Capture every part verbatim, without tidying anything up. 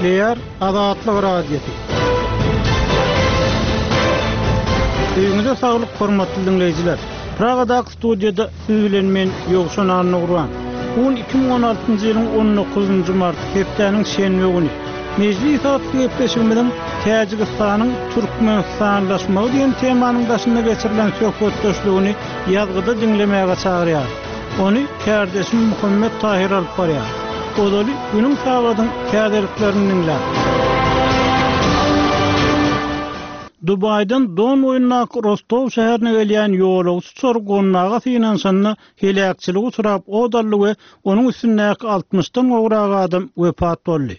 Gepleýär Azatlyk Radiosy. Öýüňize saglyk hormatly diňleýjiler. Pragadaky studiýada siz bilen men Ýowşan Annagurban. Bu gün iki müň on altynjy ýylyň on dokuzynjy mart, hepdäniň şenbe güni. Mejlis atly gepleşigimiziň Täjigistanyň Türkmenistanlaşmagy diýen temanyň daşynda geçirilen söhbetdeşligini ýazgyda diňlemäge çagyrýar. Ony kärdeşim Muhammet Tahir alyp barýar. Ozaly günüň sagadyň täzeliklerini diňläp. Dubaýdan Don boýundaky Rostow şäherine gelýän ýolagçy uçary gonmaga synanyşanda heläkçilige uçrap od aldy we onuň üstündäki altmyşdan gowrak adam wepat boldy.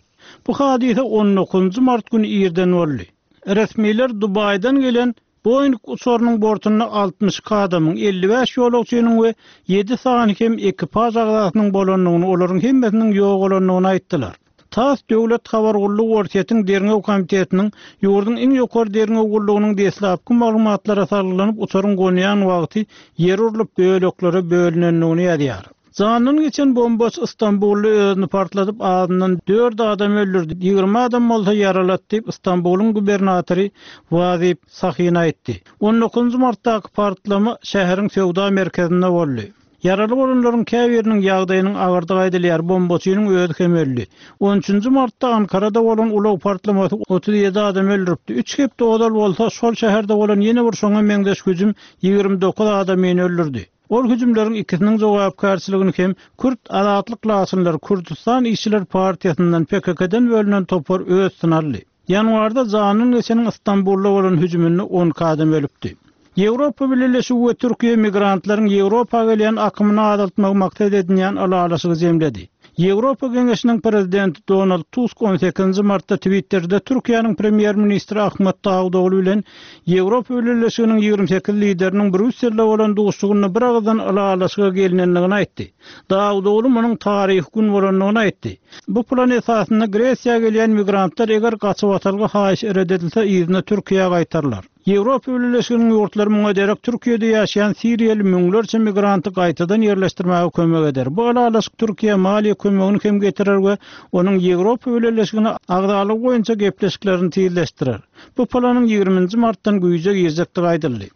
Bu hadysa on dokuzynjy mart güni irden boldy. Resmiler Dubaýdan gelen Boeing uçarynyň bortunda altmyş iki adamyň, elli bäş ýolagçynyň we ýedi sany hem ekipaž agzasynyň bolandygyny, olaryň hemmesiniň ýogalandygyny aýtdylar. TASS Döwlet Habar Gullugy Orsýetiň Derňew Komitetiniň ýurduň iň ýokary derňew gullugynyň deslapky maglumatlara salgylanyp uçaryň gonýan wagty ýer urlup böleklere bölünendigini ýazýar. Jandan geçen bombaçy Istanbulda özüni partladyp azyndan dört adam öldürdi. Ýigrimi adam bolsa ýaralatdy diýip Istanbulyň gubernatory Wazip Sahin aýtdy. on dokuzynjy martdaky partlama şäheriň söwda merkezinde boldy. Ýaraly bolanlaryň käbiriniň ýagdaýynyň agyrdygy aýdylýar, bombaçynyň özi hem öldi. on üçünji martda Ankarada bolan ulag partlamasy otuz ýedi adam öldüripdi. Üç hepde ozal bolsa şol şäherde bolan ýene bir şoňa meňzeş hüjüm ýigrimi dokuz adamyny öldürdi. Ol hüjümleriň ikisiniň jogapkärçiligini hem Kürt Azatlyk Laçynlary Kürdistan Işçiler Partiýasyndan P K K-den bölünen topar öz üstüne aldy. Ýanwarda janyň geçeniň Istanbulda bolan hüjüminde on iki adam ölüpdi. Ýewropa Birleşigi we Türkiýe migrantlaryň Ýewropa gelýän akymyny azaltmagy maksat edinýän ylalaşygy jemledi. Ýewropa Geňeşiniň prezidenti Donald Tusk on sekizinji martda Twitter'de Türkiýäniň premýer-ministri Ahmet Davutoğlu bilen Ýewropa Birleşiginiň ýigrimi sekiz lideriniň Brýusselde bolan duşuşygynda bir agızdan ylalaşyga gelinendigini aýtdy. Davutoğlu munuň taryhy gün bolandygyny aýtdy. Bu plan esasynda Gresiýa gelýän migrantlar eger gaçybatalga haýyş red edilse yzyna Türkiýä gaýtarlar. Ýewropa Birleşiginiň ýurtlary muňa derek Türkiýede ýaşaýan Siriýaly müňlerçe migranty gaýtadan ýerleşdirmäge kömek eder. Bu ylalaşyk Türkiýe maliýe kömegini hem getirer we onuň Ýewropa Birleşigine agzalygy boýunça gepleşiklerini tizleşdirer. Bu planyň ýigriminji martdan güýje girjekdigi aýdyldy.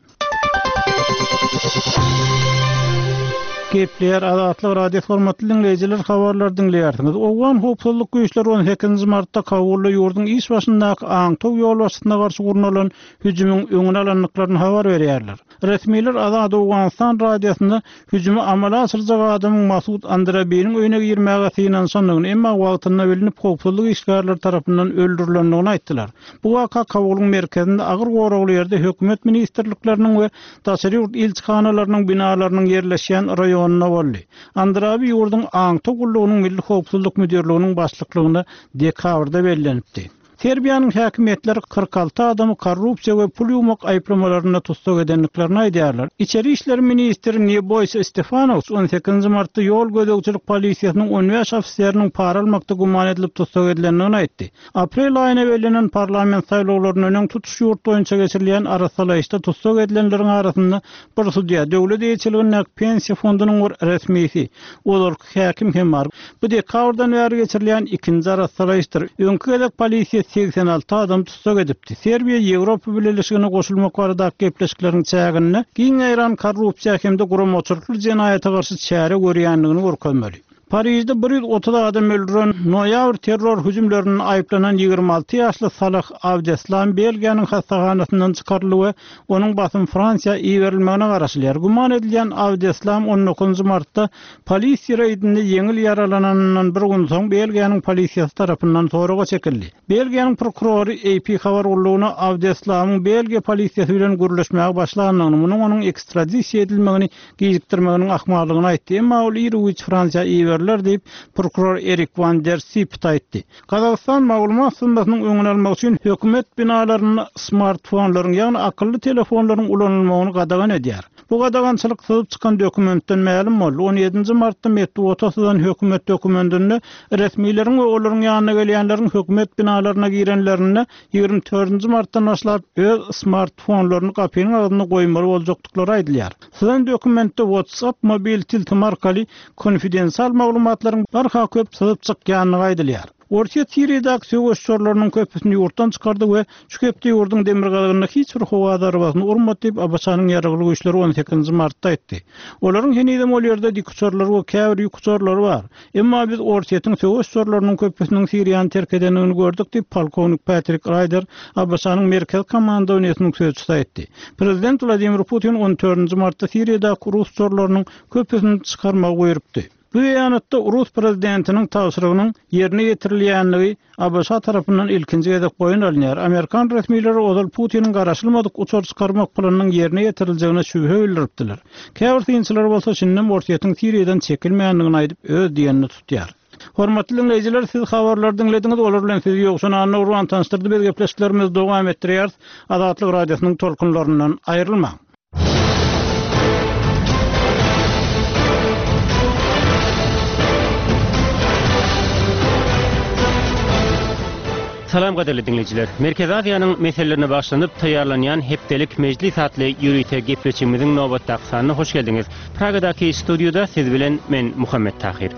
Gepleýär Azatlyk Radio hormatly diňleýjiler, habarlar diňleýärsiňiz. Owgan howpsuzlyk güýçleri on sekizinji martda Kabulda ýurduň iş başyndaky aňtaw ýolbaşçysyna garşy gurnalan hüjümiň öňüni alandyklaryny habar berýärler. Resmiler Azat Owganystan radiosynda hüjümi amala aşyrjak adamyň Masud Andrabiniň öýüne girmäge synanyşandygyny, emma wagtynda bilinip howpsuzlyk işgärleri tarapyndan öldürilendigini aýtdylar. Bu waka Kabulyň merkezinde agyr goragly ýerde hökümet ministrlikleriniň we daşary ýurt ilçihanalarynyň binalarynyň ýerleşýän raýonynda boldy. Andrabi ýurduň aňtaw gullugynyň Milli Howpsuzlyk Müdirliginiň başlyklygyna dekabrda bellenipdi. Serbiýanyň häkimiýetleri kyrk alty adamy korrupsiýa we pul ýuwmak aýyplamalarynda tussag edendiklerini aýdýarlar. Içeri işler ministri Nebojsa Stefanowiç on sekizinji martda ýol gözegçilik polisiýasynyň on bäş ofiseriniň para almakda güman edilip tussag edilendigini aýtdy. Aprel aýyna bellenen parlament saýlawlaryndan öň tutuş ýurt boýunça geçirilýän arasalaýyşda tussag edilenleriň arasynda bir sudýa, döwlet eýeçiligindäki pensiýa fondunyň bir resmisi, ozalky häkim hem bar. Bu dekabrdan bäri geçirilýän ikinji arasalaýyşdyr. Öňki gezek polisiýa seksen alty adam tussag edipdi. Serbiýa Ýewropa Birleşigine goşulmak baradaky gepleşikleriň çäginde giň ýaýran korrupsiýa hem-de guramaçylykly jenaýata garşy çäre görýändigini görkezmeli. Parijde bir ýüz otuz adam öldüren noýabr terror hüjümlerinde aýyplanan ýigrimi alty ýaşly Salah Abdeslam Belgiýanyň hastahanasyndan çykaryldy we onuň basym Fransiýa iberilmegine garaşylýar. Güman edilýän Abdeslam on dokuzynjy martda polisiýa reýdinde ýeňil ýaralananyndan bir gün soň Belgiýanyň polisiýasy tarapyndan soraga çekildi. Belgiýanyň prokurory A P habar gullugyna Abdeslamyň Belgiýa polisiýasy bilen gürleşmäge başlandygyny, munuň onuň ekstradisiýa edilmegini gijikdirmeginiň ahmallygyny aýtdy. Emma ol iru-giç Fransiýa iberiler diýip, prokuror Erik van der Sipt aýtdy. Gazagystan maglumat syzmasynyň öňüni almak üçin hökümet binalarynda smartfonlaryň, ýagny akylly telefonlaryň ulanylmagyny gadagan edýär. Bu gadagançylyk syzyp çykan dokumentden mälim boldy. on ýedinji martda metbugata syzan hökümet dokumentinde resmileriň we olaryň ýanyna gelýänleriň hökümet binalaryna girenlerinde ýigrimi dördünji martdan başlap öz smartfonlaryny gapynyň agzynda goýmaly boljakdyklary aýdylýar. Syzan dokumentde WhatsApp mobil tilsim arkaly konfidensial maglumatlaryň barha köp syzyp çykýandygy aýdylýar. Orsýet Siriýadaky söweş uçarlarynyň köpüsini ýurtdan çykardy we şu hepde ýurduň demirgazygynda hiç bir howa zarbasyny urmady diýip, ABŞ-nyň ýaragly güýçleri on sekizinji martda aýtdy. Olaryň henizem ol ýerde dikuçarlary we käbir ýük uçarlary bar. Emma biz Orsýetiň söweş uçarlarynyň köpüsiniň Siriýany terk edendigini gördük diýip, polkownik Patrik Raýder, ABŞ-nyň Merkezi komandowaniýesiniň sözçüsi aýtdy. Prezident Wladimir Putin on dördünji martda Siriýadaky rus uçarlarynyň köpüsini çykarmagy buýrupdy. Bu beýanatda rus prezidentiniň tabşyrygynyň ýerine ýetirilýändigi ABŞ tarapyndan ilkinji gezek boýun alynýar. Amerikan resmileri ozal Putiniň garaşylmadyk uçar çykarmak planynyň ýerine ýetiriljegine şübhe bildiripdiler. Käbir synçylar bolsa şindem Orsýetiň Siriýadan çekilmeýändigini aýdyp, öz diýenini tutýar. Hormatly diňleýjiler, siz habarlary diňlediňiz, olar bilen sizi Ýowşan Annagurban tanyşdyrdy. Biz gepleşiklerimizi dowam etdirýäris. Azatlyk Radiosynyň tolkunlaryndan aýrylmaň. Salam gadyrly diňleýjiler. Merkezi Aziýanyň meselelerine bagyşlanyp taýýarlanýan hepdelik mejlis atly ýörite gepleşigimiziň nobatdaky sanyna hoş geldiňiz. Pragadaky studiýada siz bilen men Muhammet Tahir.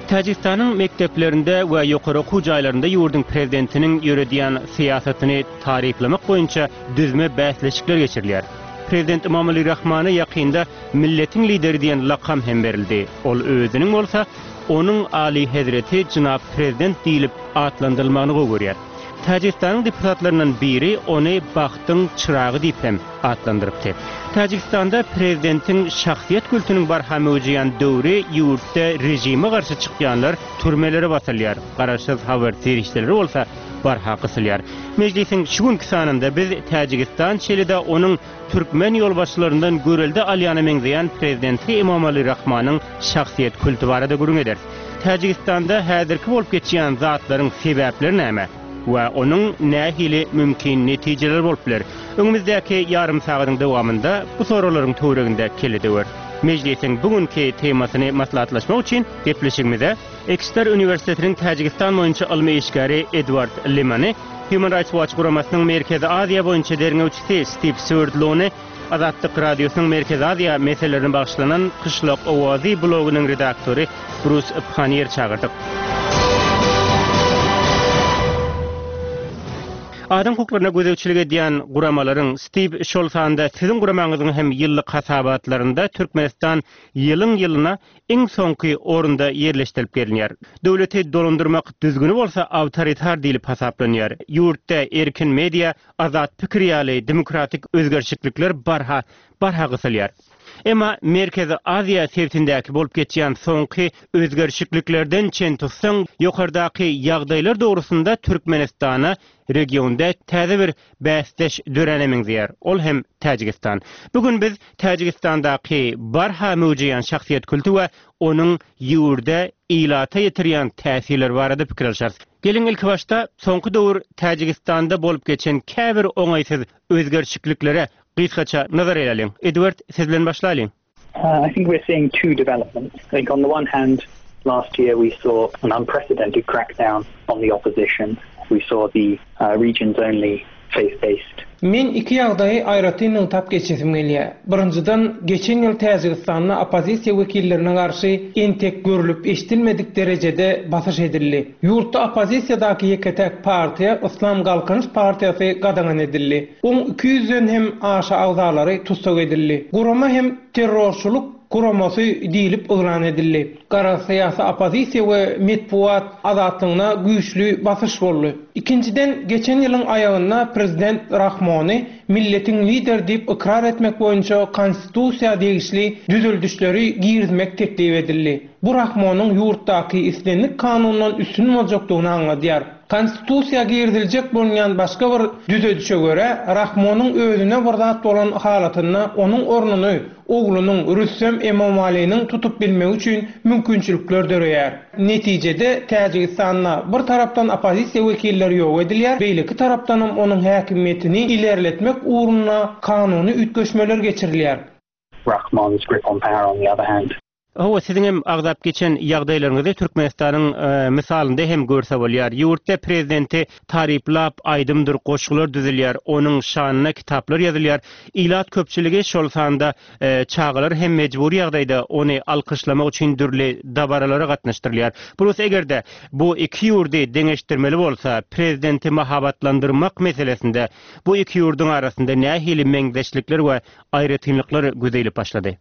Täjigistanyň mekdeplerinde we ýokary okuw jaýlarynda ýurduň prezidentiniň ýöredýän syýasatyny taryplamak boýunça düzme bäsleşikler geçirilýär. Prezident Emomali Rahmana ýakynda milletiň lideri diýen lakam hem berildi. Ol özüniň bolsa onuň Ali Hezreti Jynap Prezident diýlip atlandyrylmagyny gowy görýär. Täjigistanyň deputatlaryndan biri ony bagtyň çyragy diýip hem atlandyrypdy. Täjigistanda prezidentiň şahsyýet kültüniň barha möwjeýän döwri ýurtda režime garşy çykýanlar türmelere basylýar. Garaşsyz habar serişdeleri bolsa barha gysylýar. Mejlisiň şu günki sanynda biz Täjigistan şeýle-de onuň türkmen ýolbaşçylaryndan görelde alýana meňzeýän prezidenti Emomali Rahmanyň şahsyýet külti barada gürrüň ederis. Täjigistanda häzirki bolup geçýän zatlaryň sebäpleri näme we onuň nähili mümkin netijeleri bolup biler? Öňümizdäki ýarym sagadyň dowamynda bu soraglaryň töwereginde kelle döwer. Mejlisiň bugünkü temasyny maslahatlaşmak üçin gepleşigimize Exeter Üniversitetiniň Täjigistan boýunça ylmy işgäri Edward Limany, Human Rights Watch guramasynyň Merkezi Aziýa boýunça derňewçisi Steve Swerdlowny, Azatlyk Radiosynyň Merkezi Aziýa meselelerine bagyşlanan Kyşlak Owazy blogynyň redaktory Bruce Pannier çagyrdyk. Adam hukuklaryna gözegçilik edýän guramalaryň Steve şol sanda siziň guramaňyzyň hem ýyllyk hasabatlarynda Türkmenistan ýylyň ýylyna iň soňky orunda ýerleşdirilip gelinýär. Döwleti dolandyrmak düzgüni bolsa awtoritar diýlip hasaplanýar. Ýurtda erkin media, azat pikir ýaly demokratik özgerişlikler barha barha gysylýar. Emma Merkezi Aziýa sebitindäki bolup geçýän soňky özgerişliklerden çen tutsaň, ýokardaky ýagdaýlar dogrusynda Türkmenistana regionda täze bir bäsdeş döräne meňzeýär. Ol hem Täjigistan. Bugün biz Täjigistandaky barha möwjeýän şahsyýet külti we onuň ýurda ilata ýetirýän täsirleri barada pikir alşarys. Geliň ilki başda soňky döwür Täjigistanda bolup geçen käbir oňaýsyz özgerişliklere gysgaça nazar eýläliň. Edward, siz bilen başlaýlyň. Uh, I think we're seeing two developments. I think on the one hand, last year we saw an unprecedented crackdown on the opposition. We saw the uh, region's only faith-based Men iki ýagdaýy aýratyn nygtap geçesim gelýär. Birinjiden, geçen ýyl Täjigistanda oppozisiýa wekillerine garşy entek görülip eşidilmedik derejede basyş edildi. Ýurtda oppozisiýadaky ýeke-täk partiýa Islam Galkynyş partiýasy gadagan edildi. On iki ýüzden hem aşa agzalary tussag edildi. Gurama hem terrorçylyk guramasy diýlip yglan edildi. Gara syýasy oppozisiýa we metbugat azatlygyna güýçli basyş boldy. Ikinjiden, geçen ýylyň aýagynda prezident Rahmony milletiň lider diýip ykrar etmek boýunça konstitusiýa degişli düzüldişleri girizmek teklip edildi. Bu Rahmonyň ýurtdaky islendik kanundan üstün boljakdygyny aňladýar. Konstitusiýa giriziljek bolýan başga bir düzedişe görä, Rahmonyň özüne bir zat bolan halatynda onuň ornuny oglunyň Rüstem Emomaliniň tutup bilmegi üçin mümkinçilikler döreýär. Netijede Täjigistanda bir tarapdan oppozisiýa wekilleri ýok edilýär, beýleki tarapdan hem onuň häkimiýetini ilerletmek ugrunda kanuny üýtgeşmeler geçirilýär. Rahmon's grip on power on the other hand. Hawa, siziň hem agzap geçen ýagdaýlaryňyzy Türkmenistanyň mysalynda hem görse bolýar. Ýurtda prezidenti taryplap aýdymdyr goşgular düzülýär, onuň şanyna kitaplar ýazylýar. Ilat köpçüligi, şol sanda çagalar hem mejbury ýagdaýda ony alkyşlamak üçin dürli dabaralara gatnaşdyrylýar. Brus, eger-de bu iki ýurdy deňeşdirmeli bolsa, prezidenti mahabatlandyrmak meselesinde bu iki ýurduň arasynda nähili meňzeşlikler we aýratynlyklar göze ilip başlady?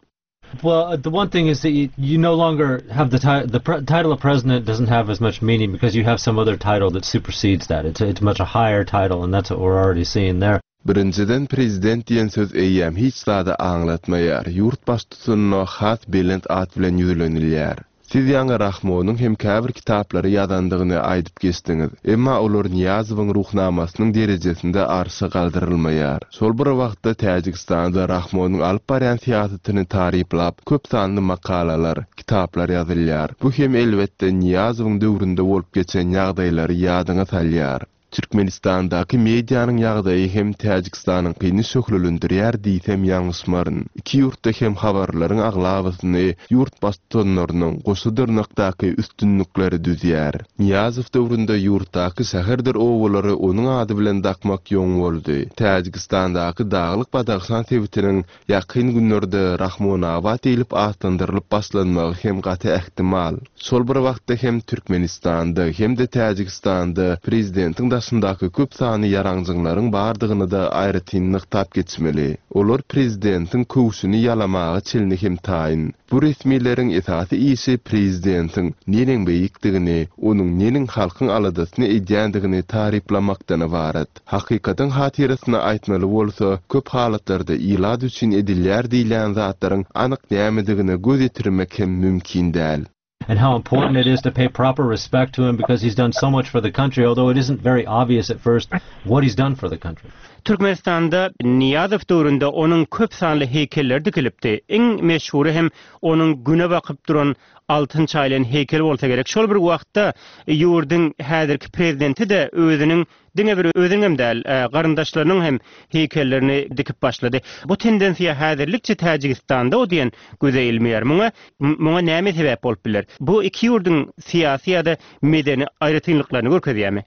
Well, the one thing is that you, you no longer have the title. The pre- title of president doesn't have as much meaning because you have some other title that supersedes that. It's it's much a higher title, and that's what we're already seeing there. Birinjiden prezident diýen söz eýýäm hiç zady aňlatmaýar. Ýurt baştutanyna has belent at bilen ýüzlenilýär. Siz ýaňy Rahmonyň hem käbir kitaplary ýazandygyny aýdyp geçdiňiz. Emma olar Niýazowyň ruhnamasynyň derejesinde arşa galdyrylmaýar. Şol bir wagtda Täjigistanda Rahmonyň alyp barýan syýasatyny taryplap köp sanly makalalar, kitaplar ýazylýar. Bu hem elbetde Niýazowyň döwründe bolup geçen ýagdaýlary ýadyňa salýar. Türkmenistandaky medianyň ýagdaýy hem Täjigistanyňkyny şöhlelendirýär diýsem ýalňyşmaryn. Iki ýurtda hem habarlaryň aglabasyny ýurt baştutanlarynyň goşa dyrnakdaky üstünlikleri düzýär. Niýazow döwründe ýurtdaky şäherdir obalary onuň ady bilen dakmak ýoň boldy. Täjigistandaky Daglyk Badahşan sebitiniň ýakyn günlerde Rahmonabat diýlip atlandyrylyp başlanmagy hem gaty ähtimal. Şol bir wagtda hem Türkmenistanda hem-de Täjigistanda prezidentiň daşyndaky köp sanly ýaraňjyňlaryň bardygyny da aýratyn nygtap geçmeli. Olar prezidentiň köwşüni ýalamaga çenli hem taýyn. Bu resmileriň esasy işi prezidentiň neneň beýikdigini, onuň neneň halkyň aladasyny edýändigini taryplamakdan ybarat. Hakykatyň hatyrasyna aýtmaly bolsa, köp halatlarda ilat üçin edilýär diýilýän zatlaryň anyk nämedigine göz ýetirmek hem mümkin däl. and how important it is to pay proper respect to him because he's done so much for the country, although it isn't very obvious at first what he's done for the country. Türkmenistanda Niýazow döwründe onuň köp sanly heýkelleri dikilipdi. Iň meşhury hem onuň güne bakyp duran altyn çaýylan heýkel bolsa gerek. Şol bir wagtda ýurduň häzirki prezidenti-de özüniň diňe bir özüniň hem däl, garyndaşlarynyň hem heýkellerini dikip başlady. Bu tendensiýa häzirlikçe Täjigistanda o diýen göze ilmeýär. Muňa muňa näme sebäp bolup biler? Bu iki ýurduň syýasy ýa-da medeni aýratynlyklaryny görkezýärmi?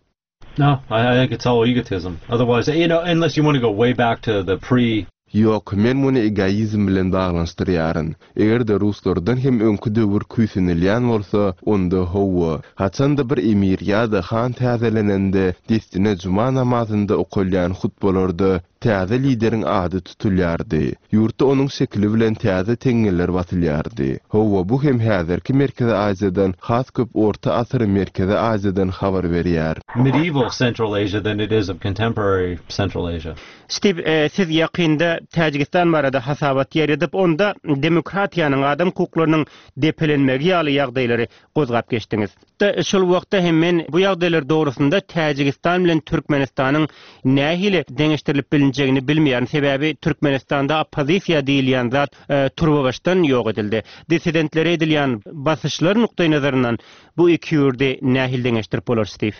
No, I, I think it's all egotism. Otherwise, you know, unless you want to go way back to the pre Ýok, men muny egoizm bilen baglanyşdyrýaryn. Eger-de ruslardan hem öňki döwür küýsenilýän bolsa, onda hawa. Haçanda bir emir ýa-da han täzelenende, dessine juma namazynda okalýan hutbalarda täze lideriň ady tutulýardy. Ýurtda onuň şekili bilen täze teňňeler basylýardy. Hawa, bu hem häzirki Merkezi Aziýadan has köp Orta asyr Merkezi Aziýadan habar berýär. medieval Central Asia than it is of contemporary Central Asia. Steve, e, siz ýakynda Täjigistan barada hasabat ýaýradyp, onda demokratiýanyň adam hukuklarynyň depelenmegi ýaly ýagdaýlary gozgap geçdiňiz. Da şol wagtda hem men bu ýagdaýlar dogrusynda Täjigistan bilen Türkmenistanyň nähili deňeşdirilip bilinjegini bilmeýän. Sebäbi Türkmenistanda oppozisiýa diýilýän zat e, turbabaşdan ýok edildi. Dissidentlere edilýän basyşlar nukdaý nazaryndan bu iki ýurdy nähili deňeşdirip bolar Steve?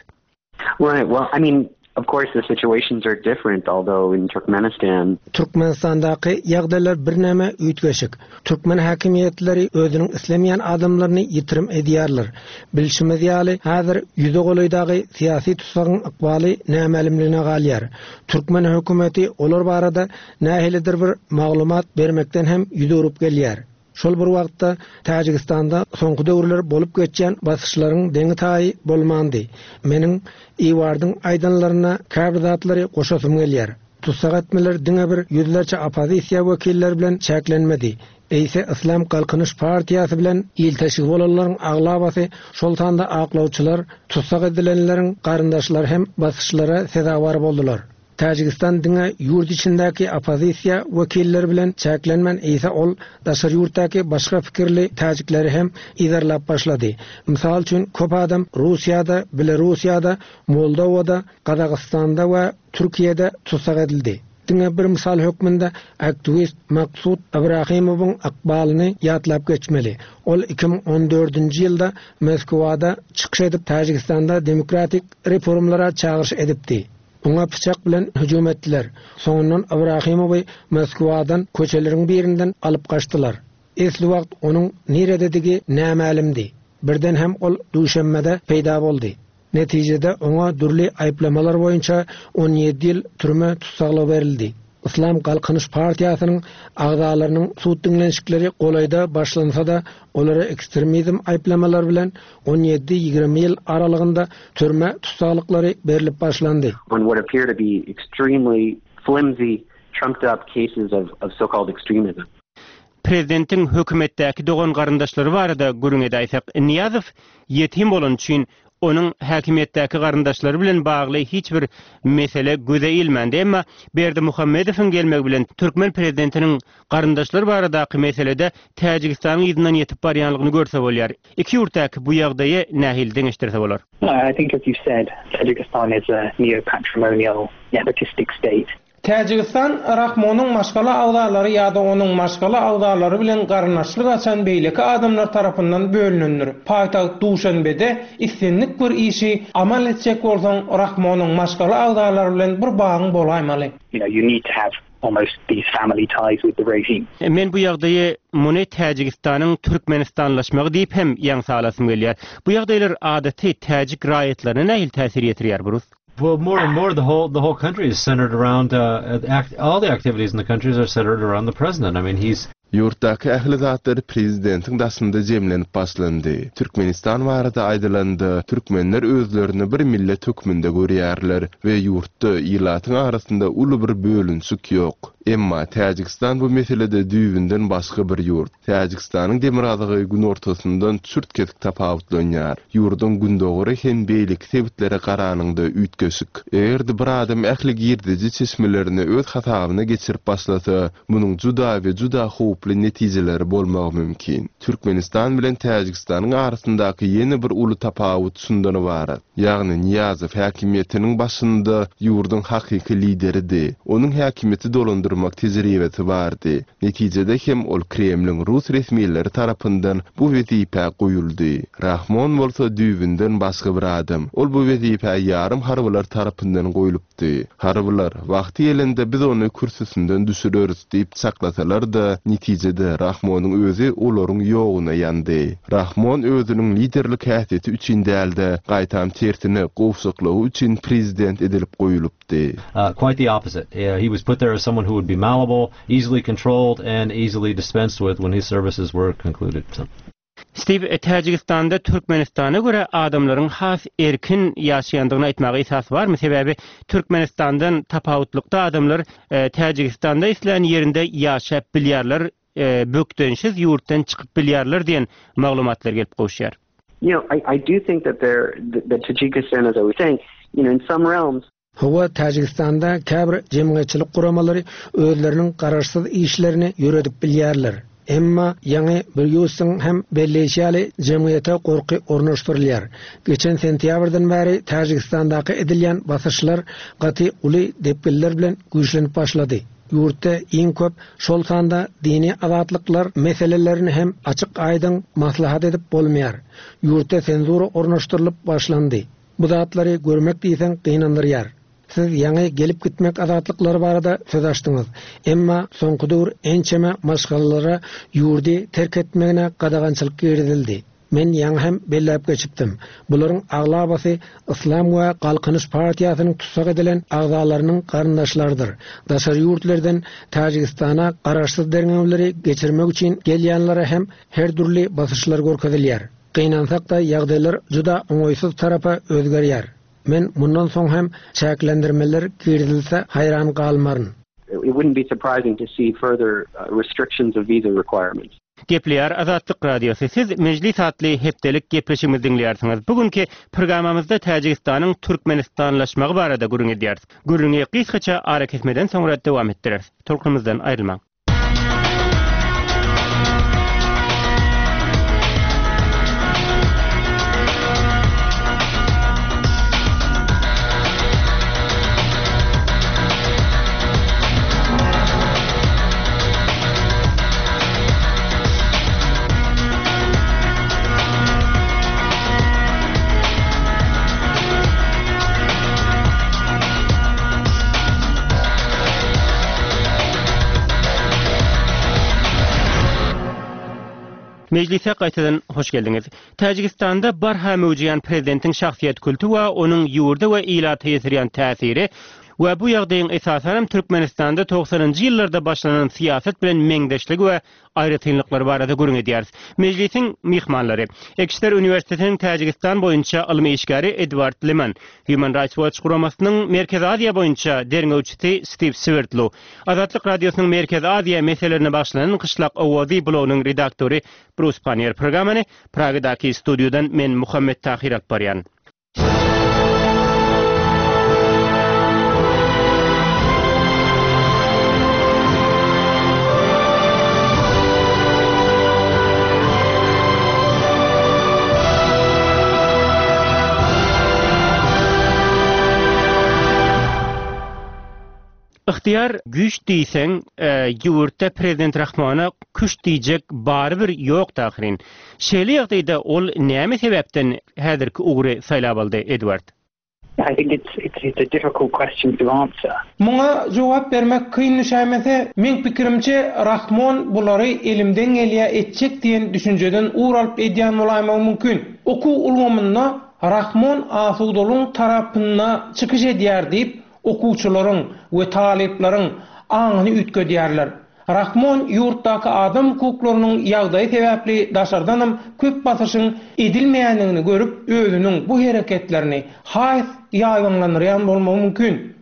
Right. Well, I mean, of course, the situations are different, although in Turkmenistan, Türkmenistandaky ýagdaýlar birneme üýtgeşik. Türkmen häkimiýetleri özüniň islemeýän adamlaryny ýitirim edýärler. Bilşimiz ýaly, häzir ýüze golaýdaky syýasy tutsagyň ykbaly nämälimligine galýar. Türkmen hökümeti olar barada nähilidir bir maglumat bermekden hem ýüz öwrüp gelýär. Şol bir wagtda Täjigistanda soňky döwürler bolup geçýän basyşlaryň deňi taýy bolmandy. Meniň Iwardyň aýdanlaryna käbir zatlary goşasym gelýär. Tutsak etmeler diňe bir ýüzlerçe oppozisiýa wekilleri bilen çäklenmedi. Eýse Islam Galkynyş partiýasy bilen ilteşigi bolanlaryň aglabasy şol sanda aklawçylar, tutsak edilenleriň garyndaşlary hem basyşlara sezewar boldular. Täjigistan diňe ýurt içindäki oppozisiýa wekilleri bilen çäklenmän eýse ol daşary ýurtdaky başga pikirli täjikleri hem yzarlap başlady. Mysal üçin köp adam Russiýada, Belarusýada, Moldowada, Gazagystanda we Türkiýede tutsak edildi. Diňe bir mysal hökmünde aktiwist Maksud Ibrahimowyň ykbalyny ýatlap geçmeli. Ol iki müň on dördünji ýylda Moskwada çykyş edip Täjigistanda demokratik reformlara çagyryş edipdi. Oňa pyçak bilen hüjüm etdiler. Soňundan Ibrahimowy Moskwadan köçeleriň birinden alyp gaçdylar. Esli wagt onuň nirededigi nämälimdi. Birden hem ol Duşenbede peýda boldy. Netijede oňa dürli aýyplamalar boýunça on ýedi ýyl türme tussaglygy berildi. Islam Galkynyş partiýasynyň agzalarynyň sud diňlenişikleri golaýda başlansa-da, olara ekstremizm aýyplamalary bilen on ýedi-ýigrimi ýyl aralygynda türme tussaglyklary berlip başlandy. On what appear to be extremely flimsy, trumped up cases of, of so-called extremism. Prezidentiň hökümetdäki dogan garyndaşlary barada gürrüň edäýsek, Nyýazow ýetim bolany üçin onuň häkimiýetdäki garyndaşlary bilen bagly hiç bir mesele göze ilmändi. Emma Berdimuhamedowyň gelmegi bilen türkmen prezidentiniň garyndaşlary baradaky meselede Täjigistanyň yzyndan ýetip barýanlygyny görse bolýar. Iki ýurtdaky bu ýagdaýy nähili deňeşdirse bolar? I think as you said, Tajikistan is a neo-patrimonial nepotistic state. Täjigistan Rahmonyň maşgala agzalary ýa-da onuň maşgala agzalary bilen garyndaşlyk açan beýleki adamlar tarapyndan bölünendir. Paýtagt Duşenbede islendik bir işi amal etjek bolsaň Rahmonyň maşgala agzalary bilen bir bagyň bolaýmaly. You know, you need to have almost these family ties with the regime. Men bu ýagdaýy muny Täjigistanyň Türkmenistanlaşmagy diýip hem ýaňsa alasym gelýär. Bu ýagdaýlar adaty täjik raýatlaryna nähili täsir ýetirýär, Brus? Well, more and more, the whole, the whole country is centered around, uh, act, all the activities in the countries are centered around the president. I mean, he's Ýurtdaky ähli zatlar prezidentiň daşynda jemlenip başlandy. Türkmenistan barada aýdylanda, türkmenler özlerini bir millet hökmünde görýärler we ýurtda ilatyň arasynda uly bir bölünişik ýok. Emma Täjigistan bu meselede düýbünden başga bir ýurt. Täjigistanyň demirgazygy günortasyndan çürt kesik tapawutlanýar. Ýurduň gündogary hem beýleki sebitlere garanyňda üýtgeşik. Eger-de bir adam ähli girdeji çeşmelerini öz hasabyna geçirip başlasa, munuň juda we juda howply netijeleri bolmagy mümkin. Türkmenistan bilen Täjigistanyň arasyndaky ýene bir uly tapawut şundan ybarat. Ýagny Nyýazow häkimiýetiniň başynda ýurduň hakyky lideridi. Onuň häkimiýeti dolandyrmak tejribesi bardy. Netijede hem ol Kremliň rus resmileri tarapyndan bu wezipä goýuldy. Rahmon bolsa düýbünden başga bir adam. Ol bu wezipä ýarym harbylar tarapyndan goýlupdy. Harbylar wagty gelende biz ony kürsüsinden düşüreris diýip çaklasalar-da, netijede Rahmonyň özi olaryň ýoguna ýandy. Rahmon özüniň liderlik häsiýeti üçin dälde, gaýtam tersine gowşaklygy üçin prezident edilip goýlupdy. Uh, quite the opposite. Uh, he was put there as someone who would be malleable, easily controlled, and easily dispensed with when his services were concluded. So. Steve, Täjigistanda Türkmenistana görä adamlaryň has erkin ýaşaýandygyny aýtmaga esas barmy? Sebäbi Türkmenistandan tapawutlykda adamlar, e, Täjigistanda islän ýerinde ýaşap bilýärler, e, bökdençsiz ýurtdan çykyp bilýärler diýen maglumatlar gelip gowuşýar. You know, I, I do think that there, that Tajikistan, as I was saying, you know, in some realms, Hawa Täjigistanda käbir jemgyýetçilik guramalary özleriniň garaşsyz işlerini ýöredip bilýärler. Emma ýaňy Brýusyň hem belleýşi ýaly jemgyýete gorky ornaşdyrylýar. Geçen sentýabrdan bäri Täjigistandaky edilýän basyşlar gaty uly depginler bilen güýçlenip başlady. Ýurtda iň köp şol sanda dini azatlyklar meselelerini hem açyk aýdyň maslahat edip bolmaýar. Ýurtda senzura ornaşdyrylyp başlandy. Bu zatlary görmek diýseň gynandyrýar. Siz ýaňy gelip gitmek azatlyklary barada söz açdyňyz. Emma soňky döwür ençeme maşgalalara ýurdy terk etmegine gadagançylyk girizildi. Men ýaňy hem belläp geçipdim. Bularyň aglabasy Islam we Galkynyş partiýasynyň tussag edilen agzalarynyň garyndaşlarydyr. Daşary ýurtlardan Täjigistana garaşsyz derňewleri geçirmek üçin gelýänlere hem her dürli basyşlar görkezilýär. Gynansak-da ýagdaýlar juda oňaýsyz tarapa özgerýär. Men mundan soň hem çäklendirmeler girizilse haýran galmaryn. It wouldn't be surprising to see further, uh, restrictions of visa requirements. Gepleýär Azatlyk Radiosy. Siz Mejlis atly hepdelik gepleşigimizi diňleýärsiňiz. Bugünkü programmamyzda Täjigistanyň Türkmenistanlaşmagy barada gürrüň edýäris. Gürrüňi gysgaça ara kesmeden soňra dowam etdireris. Tolkunymyzdan aýrylmaň. Mejlise gaýtadan hoş geldiňiz. Täjigistanda barha möwjeýän prezidentiň şahsyýet kulty we onuň ýurda we ilata ýetirýän täsiri we bu ýagdaýyň esasanam Türkmenistanda togsanynjy ýyllarda başlanan syýasat bilen meňzeşligi we aýratynlyklary barada gürrüň edýäris. Mejlisiň myhmanlary Ekşter uniwersitetiniň Täjigistan boýunça ylmy işgäri Edward Liman, Human Rights Watch guramasynyň Merkezi Aziýa boýunça derňewçisi Stiw Swerdlow, Azatlyk Radiosynyň Merkezi Aziýa meselelerine bagyşlanan Gyşlak owazy blogynyň redaktory Brus Pannier. Programmany Pragadaky studiýadan men Muhammet Tahir alyp barýan. Ygtyýar güýç diýseň, ýurtda prezident Rahmona küşt diýjek barybir ýokdy ahyryn. Şeýle ýagdaýda ol näme sebäpden häzirki ugry saýlap aldy, Edward? I think it's, it's, it's a difficult question to answer. Muňa jogap bermek kyn düşäýmese, meň pikirimçe Rahmon bulary elimden gelýä etjek diýen düşünjeden ugur alyp edýän bolaýmagy mümkin. Okuw ulgamynda Rahmon asudalygyň tarapynda çykyş edýär diýip, okuwçylaryň we talyplaryň aňyny üýtgedýärler. Rahmon ýurtdaky adam hukuklarynyň ýagdaýy sebäpli daşardanam köp basyşyň edilmeýändigini görüp, özüniň bu hereketlerini has ýaýbaňlandyrýan bolmagy mümkin.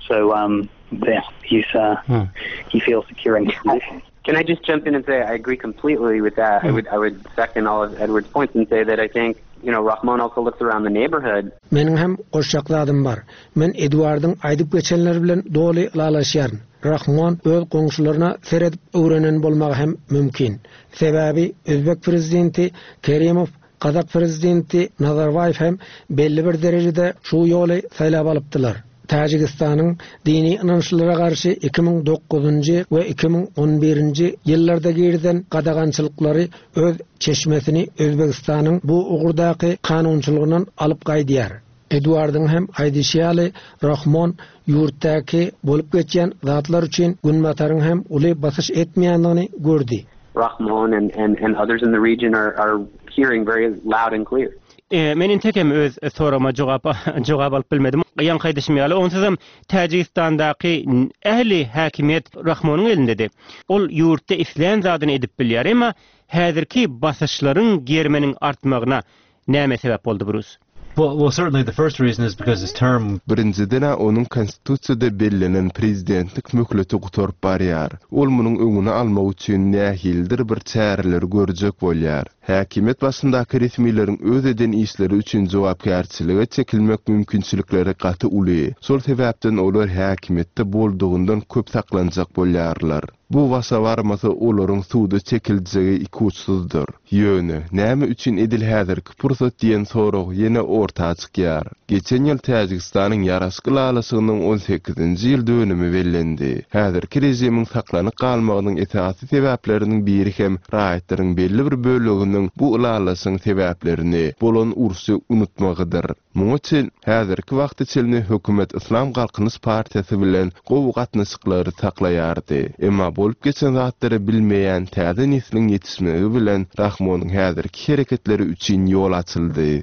So, um, yeah, he's, uh, he feels secure in his position. Can I just jump in and say I agree completely with that. I would, I would second all of Edward's points and say that I think, you know, Rahmon also looks around the neighborhood. Meniň hem goşjak zadym bar. Men Edwardyň aýdyp geçenleri bilen doly ylalaşýaryn. Rahmon öz goňşularyna seredip öwrenen bolmagy hem mümkin. Sebäbi Özbek prezidenti Kerimow, Gazak prezidenti Nazarbaýew hem belli bir derejede şu ýoly saýlap alypdylar. Täjigistanyň dini ynançlara garşy iki müň dokuzynjy we iki müň on birinji ýyllarda girizen gadagançylyklary öz çeşmesini Özbegistanyň bu ugurdaky kanunçylygyndan alyp gaýdýar. Edwardyň hem aýdyşy ýaly, Rahmon ýurtdaky bolup geçýän zatlar üçin Günbataryň hem uly basyş etmeýändigini gördi. Rahmon and, and, and others in the region are, are hearing very loud and clear. E, men entek hem öz soragyma jogap, jogap alyp bilmedim. Ýaňky aýdyşym ýaly, onsuzam Täjigistandaky ähli häkimiýet Rahmonyň elindedi. Ol ýurtda islän zadyny edip bilýär, emma häzirki basyşlaryň germeniň artmagyna näme sebäp boldy, Brus? Well, well, certainly the first reason is because his term Birinjiden onuň konstitusiýada bellenen prezidentlik möhleti gutaryp barýar. Ol munuň öňüni almak üçin nähilidir bir çäreleri görjek bolýar. Häkimiýet başyndaky resmileriň öz eden işleri üçin jogapkärçilige çekilmek mümkinçilikleri gaty uly. Şol sebäpden olar häkimiýetde boldugyndan köp saklanjak bolýarlar. Bu başa barmasa olaryň suwda çekiljegi ikuçsuzdyr. Ýöne näme üçin edil häzirki pursat diýen sorag ýene orta çykýar. Geçen ýyl Täjigistanyň ýaraşyk ylalaşygynyň on sekizinji ýyl dönümi bellendi. Häzirki režimiň saklanyp galmagynyň esasy sebäpleriniň biri hem raýatlaryň belli bir böleginiň bu ylalaşygyň sebäplerini bolan urşy unutmagydyr. Muňa çen häzirki wagtda çenli hökümet Islam Galkynyş partiýasy bilen gowy gatnaşyklary saklaýardy. Emma bolup geçen zatlary bilmeýän täze nesliň ýetişmegi bilen Rahmonyň häzirki hereketleri üçin ýol açyldy.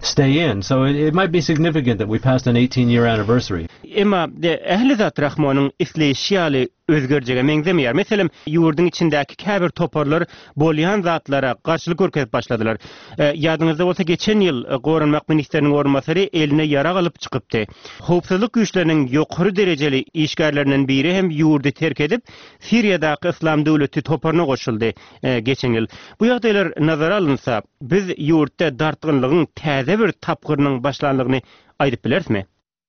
Stay in, so it, it might be significant that we passed an eighteen-year anniversary. Emma ähli zat Rahmonyň isleýşi ýaly özgerjege meňzemeýär. Meselem, ýurduň içindäki käbir toparlar bolýan zatlara garşylyk görkezip başladylar. E, ýadyňyzda bolsa geçen ýyl Goranmak ministriniň orunbasary eline ýarag alyp çykypdy. Howpsuzlyk güýçleriniň ýokary derejeli işgärlerinden biri hem ýurdy terk edip, Siriýadaky Islam döwleti toparyna goşuldy, e, geçen ýyl. Bu ýagdaýlar nazara alynsa, biz ýurtda dartgynlygyň täze bir tapgyrynyň başlanlygyny aýdyp bilerismi?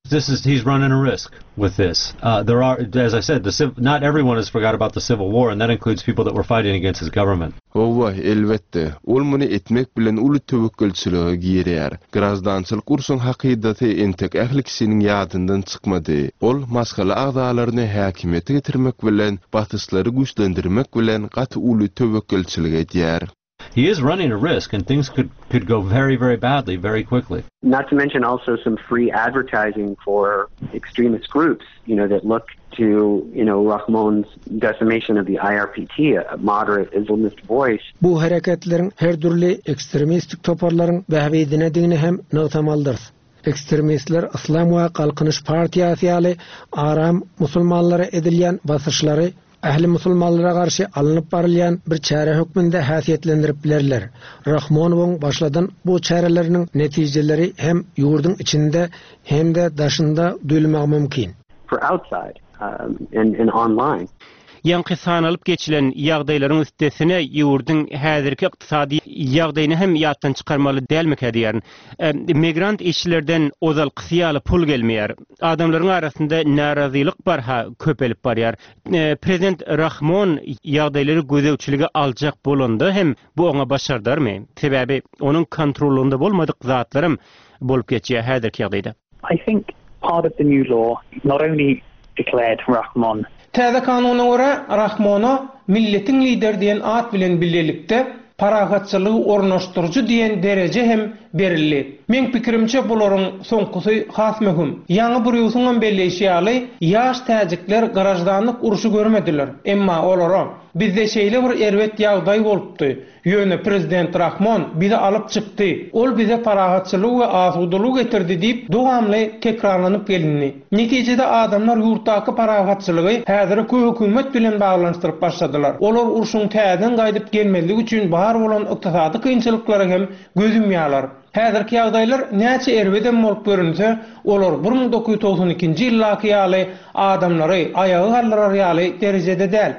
This is, he's running a risk with this. Uh, there are, as I said, the civ-, not everyone has forgot about the Civil War, and that includes people that were fighting against his government. Hawa, elbetde, ol muny etmek bilen uly töwekgelçilige girýär. Grajdançylyk urşuň hakydasy entek ähli kişiniň ýadyndan çykmady. Ol maşgala agzalaryny häkimiýete getirmek bilen, basyşlary güýçlendirmek bilen gaty uly töwekgelçilik edýär. he is running a risk, and things could, could go very, very badly very quickly. Not to mention also some free advertising for extremist groups, you know, that look to, you know, Rahmon's decimation of the I R P T, a moderate Islamist voice. Bu hereketleriň her dürli ekstremistik toparlaryň bähbidinedigini hem nygtamalydyrys. Ekstremistler Yslam we Galkynyş partiýasy ýaly aram musulmanlara edilýän basyşlary ähli musulmanlara garşy alnyp barylýan bir çäre hökmünde häsiýetlendirip bilerler. Rahmonowyň başladan bu çäreleriniň netijeleri hem ýurduň içinde hem-de daşynda duýulmagy mümkin. For outside um, and, and online. Ýaňky sanalyp geçilen ýagdaýlaryň üstesine ýurduň häzirki ykdysady ýagdaýyny hem ýatdan çykarmaly dälmikä diýýärin. Migrant işçilerden ozalkysy ýaly pul gelmeýär. Adamlaryň arasynda närazylyk barha köpelip barýar. Prezident Rahmon ýagdaýlary gözegçilige aljak bolanda hem bu oňa başardarmy? Sebäbi onuň kontrolunda bolmadyk zatlarym bolup geçýär häzirki ýagdaýda. I think part of the new law not only declared Rahmon Täze kanuna görä Rahmona milletiň lideri diýen at bilen birlikde parahatçylygy ornaşdyryjy diýen dereje hem berildi. Meň pikirimçe bularyň soňkusy has möhüm. Ýaňy Brusyň hem belleýşi ýaly, ýaş täjikler graždanlyk urşy görmediler. Emma olara bizde şeýle bir erbet ýagdaý bolupdy. Ýöne prezident Rahmon bizi alyp çykdy. Ol bize parahatçylyk we asudalyk getirdi diýip dowamly tekrarlanyp gelindi. Netijede adamlar ýurtdaky parahatçylygy häzirki hökümet bilen baglanyşdyryp başladylar. Olar urşuň täzeden gaýdyp gelmezligi üçin bar bolan ykdysady kynçylyklara hem göz ýumýarlar. Häzirki ýagdaýlar näçe erbedem bolup görünse, olar bir müň dokuz ýüz togsan ikinji ýyldaky ýaly adamlary aýaga galdyrar ýaly derejede däl.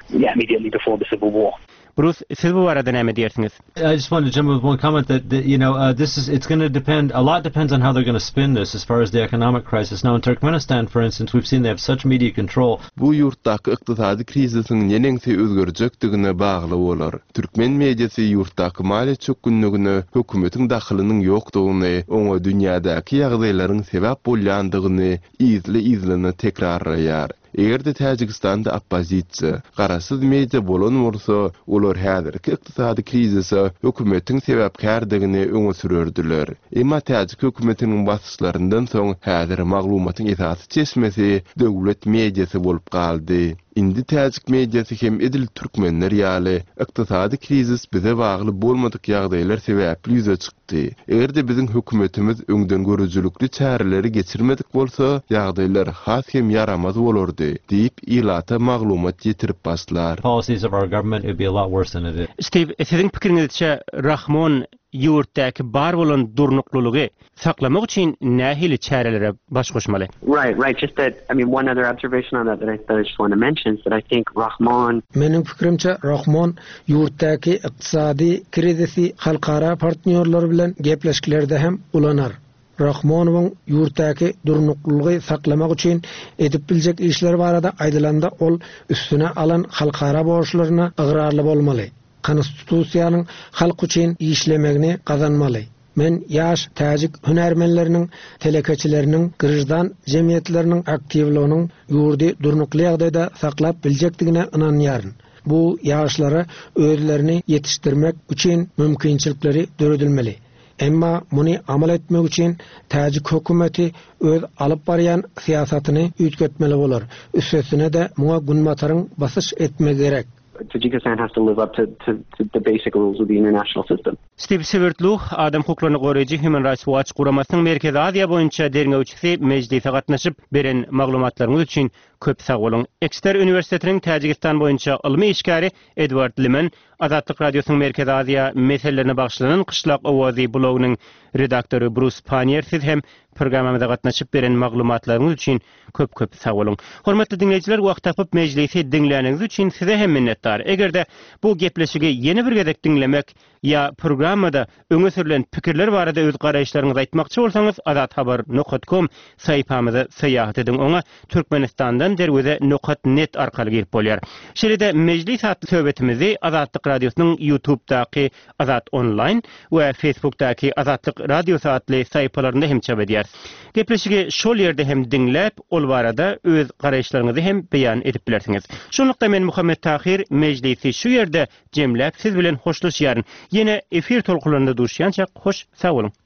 Yeah, immediately before the civil war. Bruce, siz bu barada näme diýersiňiz? I just wanted to jump in with one comment that, that you know, uh, this is it's going to depend, a lot depends on how they're going to spin this as far as the economic crisis. Now in Turkmenistan, for instance, we've seen they have such media control. Bu ýurtdaky ykdysady krizisiň neneňsi özgerjekdigine bagly bolar. Türkmen mediasy ýurtdaky maliýe çökgünligine hökümetiň dahylynyň ýokdugyny, oňa dünýädäki ýagdaýlaryň sebäp bolýandygyny yzly-yzyna tekrarlaýar. Eger-de Täjigistanda oppozisiýa, garaşsyz media bolan bolsa, olar häzirki ykdysady krizise hökümetiň sebäpkärdigini öňe sürerdiler. Emma täjik hökümetiniň basyşlaryndan soň häzir maglumatyň esasy çeşmesi döwlet mediasy bolup galdy. Indi täjik mediasy hem edil türkmenler ýaly ykdysady krizis bize bagly bolmadyk ýagdaýlar sebäpli ýüze çykdy. Eger-de biziň hökümetimiz öňden görüjilikli çäreleri geçirmedik bolsa, ýagdaýlar has hem ýaramaz bolardy diýip ilata maglumat ýetirip başlar. Policies of our government, it would be a lot worse than it is. Steve, siziň pikiriňizçe Rahmon ýurtdaky bar bolan durnuklylygy saklamak üçin nähili çärelere baş goşmaly? Right, right. Just that, I mean, one other observation on that that I, that I just want to mention is that I think Rahmon Meniň pikirimçe Rahmon ýurtdaky ykdysady krizisi halkara partnýorlar bilen gepleşiklerde hem ulanar. Rahmonowyň ýurtdaky durnuklylygy saklamak üçin edip biljek işler barada aýdylanda ol üstüne alan halkara borçlaryna ygrarly bolmaly. Konstitusiýanyň halk üçin işlemegini gazanmaly. Men ýaş täjik hünärmenleriniň, telekeçileriniň, graždan jemgyýetleriniň aktiwliginiň ýurdy durnukly ýagdaýda saklap biljekdigine ynanýaryn. Bu ýaşlara özlerini ýetişdirmek üçin mümkinçilikleri döredilmeli. Emma muny amal etmek üçin täjik hökümeti öz alyp barýan syýasatyny üýtgetmeli bolar. Üstesine de muňa günbataryň basyş etmegi gerek. Tajikistan has to live up to, to, to the basic rules of the international system. Steve Siewert Lu, adam hukuklaryny goraýjy Human Rights Watch guramasynyň Merkezi Aziýa boýunça derňewçisi mejlise gatnaşyp beren maglumatlaryňyz üçin köp sag boluň. Exeter Uniwersitetiniň Täjigistan boýunça ylmy işgäri Edward Liman, Azatlyk Radiosynyň Merkezi Aziýa meselelerine bagyşlanan Gyşlak Owazy blogynyň redaktory Bruce Pannier siz hem programmamyza gatnaşyp beren maglumatlaryňyz üçin köp köp sag boluň. Hormatly diňleýjiler, wagt tapyp mejlisi diňläniňiz üçin size hem minnetdar. Eger-de bu gepleşigi ýene bir gezek diňlemek ýa programmada öňe sürülen pikirler barada öz garaýyşlaryňyzy aýtmakçy bolsaňyz azathabar nokta com saýpamyza syýahat ediň. Oňa Türkmenistandan derweze nokta net arkaly girip bolýar. Şeýle-de mejlis atly söhbetimizi Azatlyk Radiosynyň YouTube'daky Azat Online we Facebook'daky Azatlyk Radiosy atly saýpalarynda hem çap edýäris. edýär. Gepleşigi şol ýerde hem diňläp, ol barada öz garaýyşlaryňyzy hem beýan edip bilersiňiz. Şonlukda men Muhammet Tahir mejlisi şu ýerde jemläp siz bilen hoşlaşýaryn. Ýene efir tolkunlarynda duşýança hoş sag boluň.